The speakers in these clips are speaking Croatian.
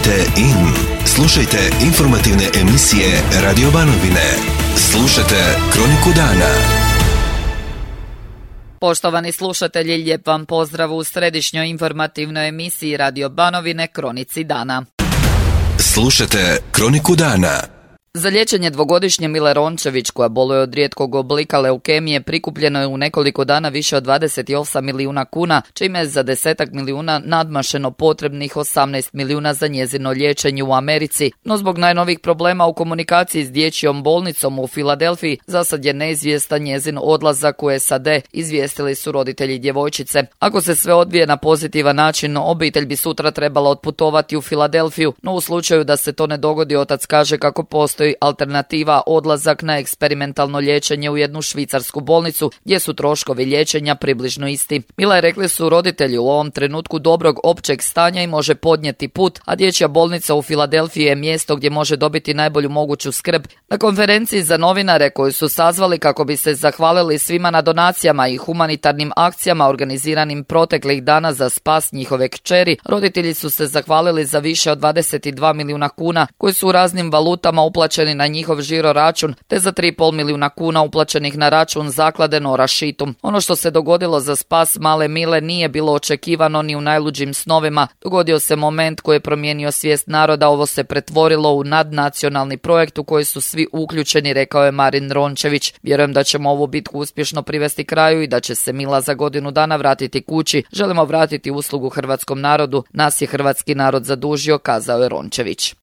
Tunite in. Slušajte informativne emisije Radio Banovine. Slušajte Kroniku dana. Poštovani slušatelji, lijep vam pozdrav u središnjoj informativnoj emisiji Radio Banovine Kronici dana. Slušajte Kroniku dana. Za liječenje dvogodišnje Mile Rončević, koja boluje od rijetkog oblika leukemije, prikupljeno je u nekoliko dana više od 28 milijuna kuna, čime je za 10 milijuna nadmašeno potrebnih 18 milijuna za njezino liječenje u Americi. No zbog najnovijih problema u komunikaciji s dječjom bolnicom u Filadelfiji, zasad je neizvjestan njezin odlazak u SAD, izvijestili su roditelji djevojčice. Ako se sve odvije na pozitivan način, obitelj bi sutra trebala otputovati u Filadelfiju, no u slučaju da se to ne dogodi, otac kaže kako postoji alternativa odlazak na eksperimentalno liječenje u jednu švicarsku bolnicu gdje su troškovi liječenja približno isti. Mila, rekli su roditelji, u ovom trenutku dobrog općeg stanja i može podnijeti put, a dječja bolnica u Filadelfiji je mjesto gdje može dobiti najbolju moguću skrb. Na konferenciji za novinare koju su sazvali kako bi se zahvalili svima na donacijama i humanitarnim akcijama organiziranim proteklih dana za spas njihove kćeri, roditelji su se zahvalili za više od 22 milijuna kuna koji su u raznim valutama uplaćeni na njihov žiro račun, te za 3,5 milijuna kuna uplaćenih na račun zaklade Nora Šitum. Ono što se dogodilo za spas male Mile nije bilo očekivano ni u najluđim snovima. Dogodio se moment koji je promijenio svijest naroda, ovo se pretvorilo u nadnacionalni projekt u koji su svi uključeni, rekao je Marin Rončević. Vjerujem da ćemo ovu bitku uspješno privesti kraju i da će se Mila za godinu dana vratiti kući. Želimo vratiti uslugu hrvatskom narodu. Nas je hrvatski narod zadužio, kazao je Rončević.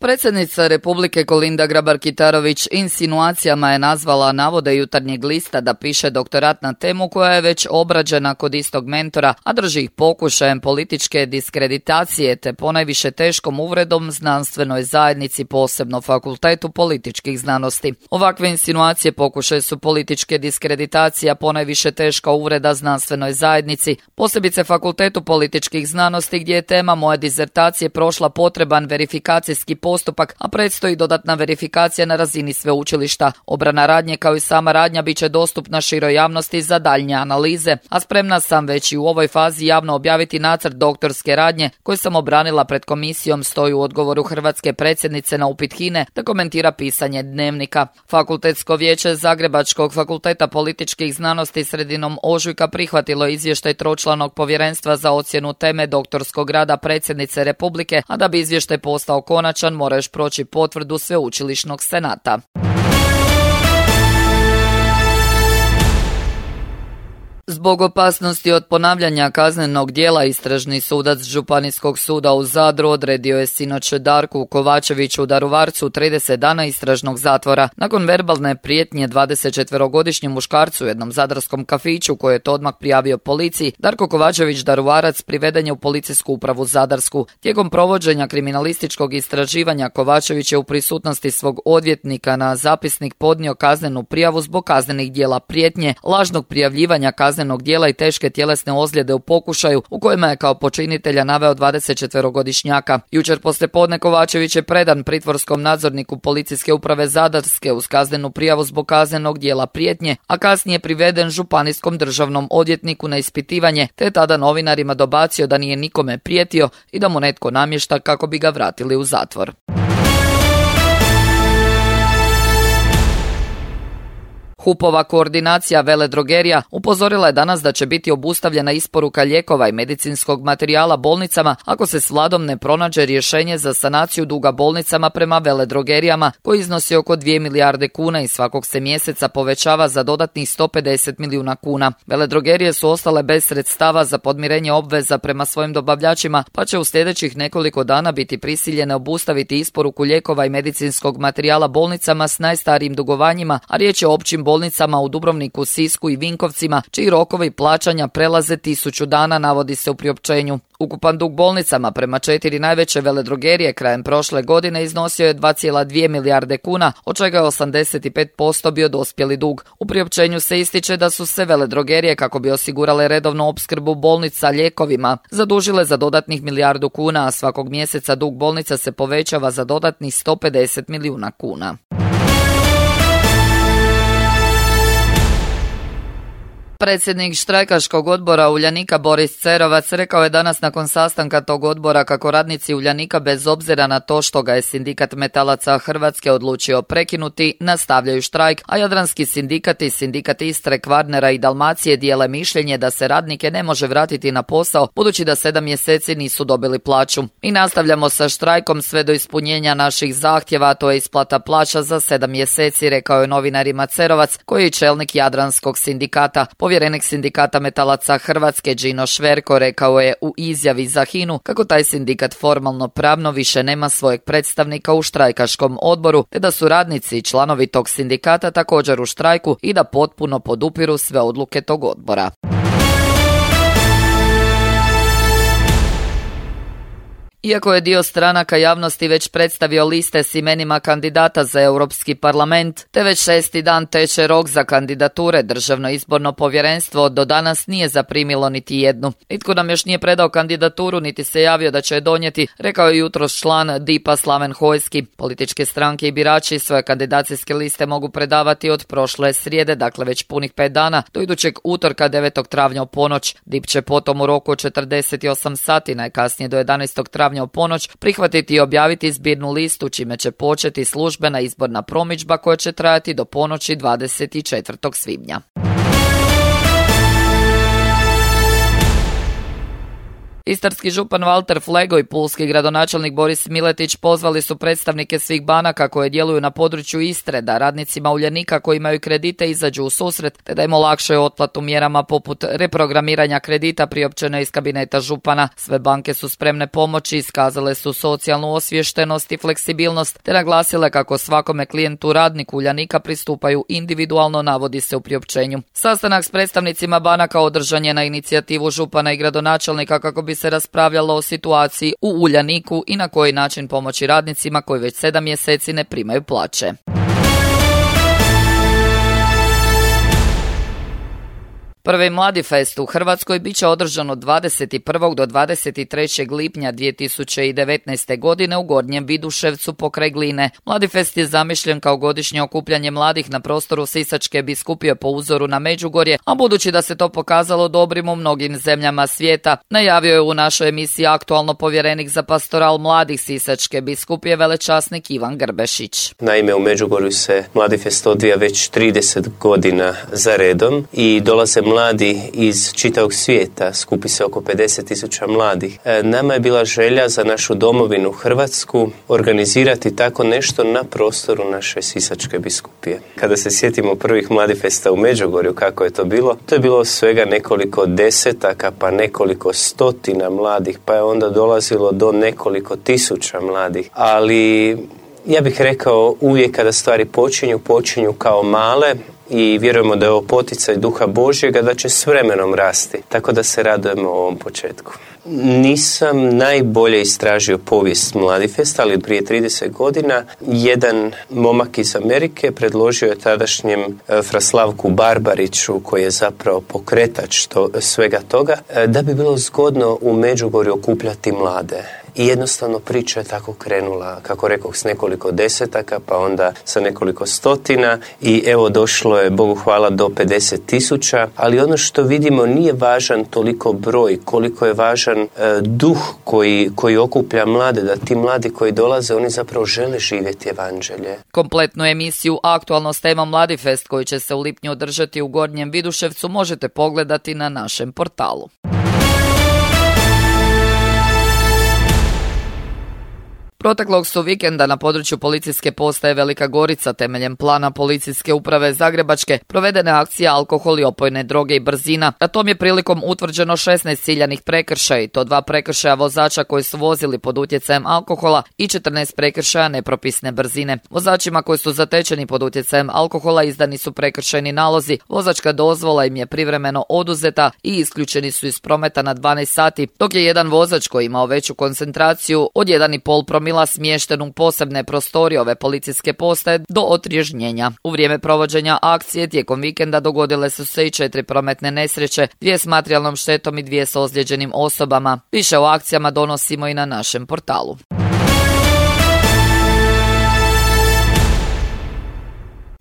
Predsjednica Republike Kolinda Grabar-Kitarović insinuacijama je nazvala navode Jutarnjeg lista da piše doktorat na temu koja je već obrađena kod istog mentora, a drži ih pokušajem političke diskreditacije te ponajviše teškom uvredom znanstvenoj zajednici, posebno Fakultetu političkih znanosti. Ovakve insinuacije pokušaj su političke diskreditacije, a ponajviše teška uvreda znanstvenoj zajednici, posebice Fakultetu političkih znanosti gdje je tema moje dizertacije prošla potreban verifikacijski postupak, a predstoji dodatna verifikacija na razini sveučilišta. Obrana radnje kao i sama radnja bit će dostupna široj javnosti za daljnje analize, a spremna sam već i u ovoj fazi javno objaviti nacrt doktorske radnje koju sam obranila pred komisijom, stoji u odgovoru hrvatske predsjednice na upit HINA-e da komentira pisanje Dnevnika. Fakultetsko vijeće Zagrebačkog fakulteta političkih znanosti sredinom ožujka prihvatilo izvještaj tročlanog povjerenstva za ocjenu teme doktorskog rada predsjednice Republike, a da bi izvještaj postao konačan mora još proći potvrdu sveučilišnog senata. Zbog opasnosti od ponavljanja kaznenog djela, istražni sudac Županijskog suda u Zadru odredio je sinoć Darku Kovačeviću u Daruvarcu 30 dana istražnog zatvora. Nakon verbalne prijetnje 24-godišnjem muškarcu u jednom zadarskom kafiću koji je to odmah prijavio policiji, Darko Kovačević Daruvarac priveden je u policijsku upravu Zadarsku. Tijekom provođenja kriminalističkog istraživanja Kovačević je u prisutnosti svog odvjetnika na zapisnik podnio kaznenu prijavu zbog kaznenih djela prijetnje, lažnog prijavljivanja kaznenog djela i teške tjelesne ozljede u pokušaju u kojima je kao počinitelja naveo 24-godišnjaka. Jučer poslijepodne Kovačević je predan pritvorskom nadzorniku policijske uprave Zadarske uz kaznenu prijavu zbog kaznenog djela prijetnje, a kasnije priveden županijskom državnom odvjetniku na ispitivanje, te tada novinarima dobacio da nije nikome prijetio i da mu netko namješta kako bi ga vratili u zatvor. HUP-ova koordinacija veledrogerija upozorila je danas da će biti obustavljena isporuka lijekova i medicinskog materijala bolnicama ako se s vladom ne pronađe rješenje za sanaciju duga bolnicama prema veledrogerijama koji iznosi oko 2 milijarde kuna i svakog se mjeseca povećava za dodatnih 150 milijuna kuna. Veledrogerije su ostale bez sredstava za podmirenje obveza prema svojim dobavljačima, pa će u sljedećih nekoliko dana biti prisiljene obustaviti isporuku lijekova i medicinskog materijala bolnicama s najstarijim dugovanjima, a riječ je o općim bolnicama u Dubrovniku, Sisku i Vinkovcima, čiji rokovi plaćanja prelaze 1000 dana, navodi se u priopćenju. Ukupan dug bolnicama prema 4 najveće veledrogerije krajem prošle godine iznosio je 2,2 milijarde kuna, od čega je 85% bio dospjeli dug. U priopćenju se ističe da su se veledrogerije, kako bi osigurale redovnu opskrbu bolnica lijekovima, zadužile za dodatnih milijardu kuna, a svakog mjeseca dug bolnica se povećava za dodatnih 150 milijuna kuna. Predsjednik štrajkaškog odbora Uljanika Boris Cerovac rekao je danas nakon sastanka tog odbora kako radnici Uljanika bez obzira na to što ga je sindikat metalaca Hrvatske odlučio prekinuti, nastavljaju štrajk, a jadranski sindikat i sindikat Istre, Kvarnera i Dalmacije dijele mišljenje da se radnike ne može vratiti na posao budući da 7 mjeseci nisu dobili plaću. I nastavljamo sa štrajkom sve do ispunjenja naših zahtjeva, a to je isplata plaća za 7 mjeseci, rekao je novinarima Cerovac, koji je čelnik jadranskog sindikata. Povjerenik sindikata metalaca Hrvatske Đino Šverko rekao je u izjavi za HINA-u kako taj sindikat formalno pravno više nema svojeg predstavnika u štrajkaškom odboru, te da su radnici i članovi tog sindikata također u štrajku i da potpuno podupiru sve odluke tog odbora. Iako je dio stranaka javnosti već predstavio liste s imenima kandidata za Europski parlament, te već 6. dan teče rok za kandidature, Državno izborno povjerenstvo do danas nije zaprimilo niti jednu. Nitko nam još nije predao kandidaturu niti se javio da će je donijeti, rekao je jutros član DIP-a Slaven Hojski. Političke stranke i birači svoje kandidacijske liste mogu predavati od prošle srijede, dakle već punih 5 dana, do idućeg utorka 9. travnja u ponoć. DIP će potom u roku od 48 sati, najkasnije do 11. travnja u ponoć, prihvatiti i objaviti zbirnu listu, čime će početi službena izborna promidžba koja će trajati do ponoći 24. svibnja. Istarski župan Valter Flego i pulski gradonačelnik Boris Miletić pozvali su predstavnike svih banaka koje djeluju na području Istre da radnicima Uljanika koji imaju kredite izađu u susret te da im olakšaju otplatu mjerama poput reprogramiranja kredita priopćeno iz kabineta župana. Sve banke su spremne pomoći, iskazale su socijalnu osviještenost i fleksibilnost te naglasile kako svakome klijentu radniku Uljanika pristupaju individualno, navodi se u priopćenju. Sastanak s predstavnicima banaka održan je na inicijativu župana i gradonačelnika kako bi se raspravljalo o situaciji u Uljaniku i na koji način pomoći radnicima koji već 7 mjeseci ne primaju plaće. Prvi Mladi fest u Hrvatskoj bit će održan od 21. do 23. lipnja 2019. godine u Gornjem Viduševcu pokraj Gline. Mladi fest je zamišljen kao godišnje okupljanje mladih na prostoru Sisačke biskupije po uzoru na Međugorje, a budući da se to pokazalo dobrim u mnogim zemljama svijeta, najavio je u našoj emisiji aktualno povjerenik za pastoral mladih Sisačke biskupije velečasnik Ivan Grbešić. Naime, u Međugorju se Mladi fest odvija već 30 godina za redom i dolaze mladi iz čitavog svijeta, skupi se oko 50.000 mladih. Nama je bila želja za našu domovinu Hrvatsku organizirati tako nešto na prostoru naše Sisačke biskupije. Kada se sjetimo prvih Mladifesta u Međugorju, kako je to bilo svega nekoliko desetaka, pa nekoliko stotina mladih, pa je onda dolazilo do nekoliko tisuća mladih. Ali ja bih rekao, uvijek kada stvari počinju kao male, i vjerujemo da je ovo poticaj Duha Božjega da će s vremenom rasti, tako da se radujemo ovom početku. Nisam najbolje istražio povijest Mladifesta, ali prije 30 godina jedan momak iz Amerike predložio je tadašnjem Fraslavku Barbariću, koji je zapravo pokretač svega toga, da bi bilo zgodno u Međugorju okupljati mlade. I jednostavno priča je tako krenula, kako rekoh, s nekoliko desetaka, pa onda sa nekoliko stotina i evo došlo je, Bogu hvala, do 50.000, ali ono što vidimo nije važan toliko broj, koliko je važan duh koji okuplja mlade, da ti mladi koji dolaze, oni zapravo žele živjeti evanđelje. Kompletnu emisiju aktualno s temom Mladifest, koji će se u lipnju održati u Gornjem Viduševcu, možete pogledati na našem portalu. Proteklog su vikenda na području policijske postaje Velika Gorica temeljem plana policijske uprave Zagrebačke provedene akcije alkohol i opojne droge i brzina. Na tom je prilikom utvrđeno 16 ciljanih prekršaja i to 2 prekršaja vozača koji su vozili pod utjecajem alkohola i 14 prekršaja nepropisne brzine. Vozačima koji su zatečeni pod utjecajem alkohola izdani su prekršajni nalozi, vozačka dozvola im je privremeno oduzeta i isključeni su iz prometa na 12 sati, dok je jedan vozač koji imao veću koncentraciju od 1,5 promila smješten u posebne prostorije ove policijske postaje do otriježnjenja. U vrijeme provođenja akcije tijekom vikenda dogodile su se i 4 prometne nesreće, 2 s materijalnom štetom i 2 s ozlijeđenim osobama. Više o akcijama donosimo i na našem portalu.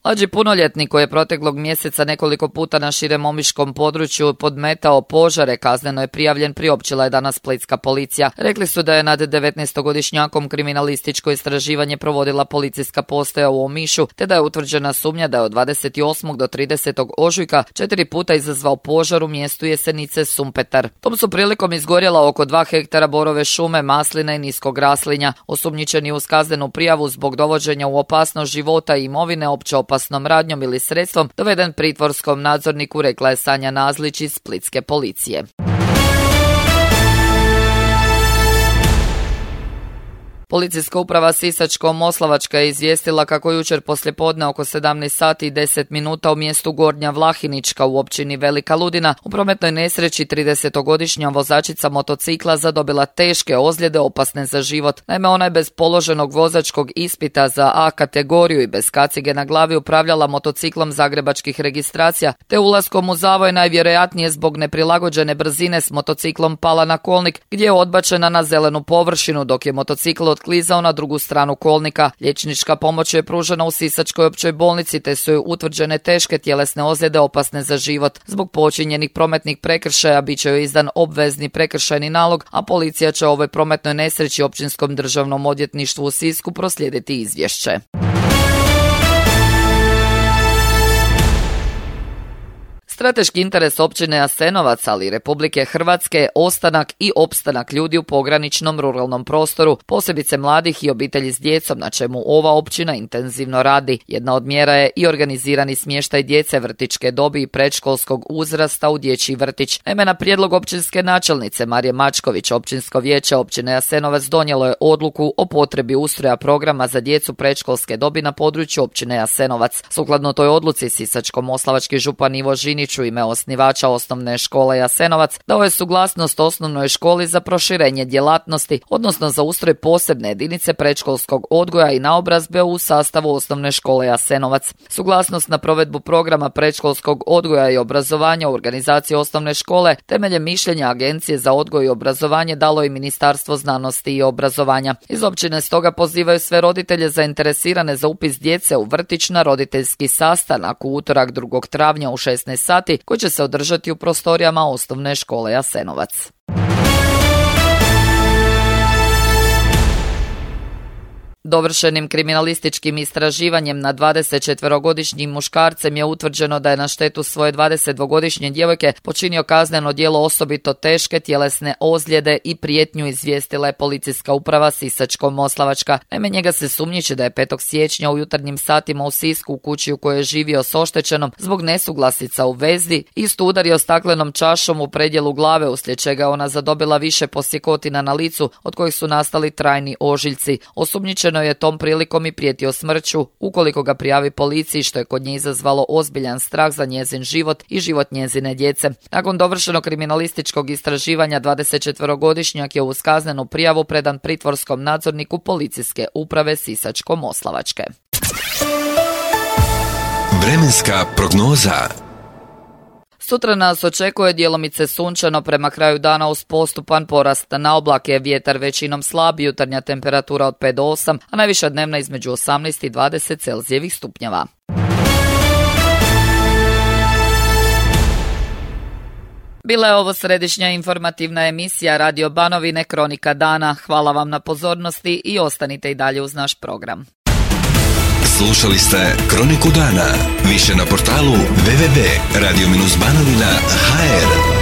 Mlađi punoljetnik koji je proteklog mjeseca nekoliko puta na širem omiškom području podmetao požare kazneno je prijavljen, priopćila je danas splitska policija. Rekli su da je nad 19-godišnjakom kriminalističko istraživanje provodila policijska postaja u Omišu, te da je utvrđena sumnja da je od 28. do 30. ožujka 4 puta izazvao požar u mjestu Jesenice Sumpetar. Tom su prilikom izgorjela oko 2 hektara borove šume, masline i niskog raslinja. Osumnjičeni uz kaznenu prijavu zbog dovođenja u opasnost života i imovine opće opasnom radnjom ili sredstvom doveden pritvorskom nadzorniku, rekla je Sanja Nazlić iz splitske policije. Policijska uprava Sisačko-moslavačka je izvijestila kako jučer poslijepodne oko 17 sati i 10 minuta u mjestu Gornja Vlahinička u općini Velika Ludina u prometnoj nesreći 30-godišnja vozačica motocikla zadobila teške ozljede opasne za život. Naime, ona je bez položenog vozačkog ispita za A kategoriju i bez kacige na glavi upravljala motociklom zagrebačkih registracija, te ulaskom u zavoj najvjerojatnije zbog neprilagođene brzine s motociklom pala na kolnik gdje je odbačena na zelenu površinu dok je motocikl otklizao na drugu stranu kolnika. Liječnička pomoć je pružena u Sisačkoj općoj bolnici te su joj utvrđene teške tjelesne ozljede opasne za život. Zbog počinjenih prometnih prekršaja bit će joj izdan obvezni prekršajni nalog, a policija će o ovoj prometnoj nesreći Općinskom državnom odvjetništvu u Sisku proslijediti izvješće. Strateški interes općine Jasenovac, ali i Republike Hrvatske je ostanak i opstanak ljudi u pograničnom ruralnom prostoru, posebice mladih i obitelji s djecom, na čemu ova općina intenzivno radi. Jedna od mjera je i organizirani smještaj djece vrtićke dobi i predškolskog uzrasta u dječji vrtić. Naime, na prijedlog općinske načelnice Marije Mačković, općinsko vijeće općine Jasenovac donijelo je odluku o potrebi ustroja programa za djecu predškolske dobi na području općine Jasenovac. Sukladno toj odluci Sisačko-moslavački župan Ivo Žinić u ime osnivača osnovne škole Jasenovac dao je suglasnost osnovnoj školi za proširenje djelatnosti, odnosno za ustroj posebne jedinice predškolskog odgoja i naobrazbe u sastavu osnovne škole Jasenovac. Suglasnost na provedbu programa predškolskog odgoja i obrazovanja u organizaciji osnovne škole temeljem mišljenja Agencije za odgoj i obrazovanje dalo i Ministarstvo znanosti i obrazovanja. Iz općine stoga pozivaju sve roditelje zainteresirane za upis djece u vrtić na roditeljski sastanak u utorak 2. travnja u 16 sati koji će se održati u prostorijama osnovne škole Jasenovac. Dovršenim kriminalističkim istraživanjem nad 24-godišnjim muškarcem je utvrđeno da je na štetu svoje 22-godišnje djevojke počinio kazneno djelo osobito teške tjelesne ozljede i prijetnju, izvijestila je policijska uprava Sisačko-moslavačka. Naime, njega se sumnjiči da je 5. siječnja u jutarnjim satima u Sisku u kući u kojoj je živio s oštećenom zbog nesuglasica u vezi isto udario staklenom čašom u predjelu glave, uslijed čega je ona zadobila više posjekotina na licu od kojih su nastali trajni ožiljci. Osumnjičeno je tom prilikom i prijetio smrću ukoliko ga prijavi policiji, što je kod nje izazvalo ozbiljan strah za njezin život i život njezine djece. Nakon dovršenog kriminalističkog istraživanja 24-godišnjak je uz kaznenu prijavu predan pritvorskom nadzorniku policijske uprave Sisačko-moslavačke. Vremenska prognoza. Sutra nas očekuje djelomice sunčano, prema kraju dana uz postupan porast na oblake, vjetar većinom slab, jutarnja temperatura od 5 do 8, a najviša dnevna između 18 i 20 Celzijevih stupnjeva. Bila je ovo središnja informativna emisija Radio Banovine Kronika dana. Hvala vam na pozornosti i ostanite i dalje uz naš program. Slušali ste Kroniku dana. Više na portalu www.radio-banovina.hr.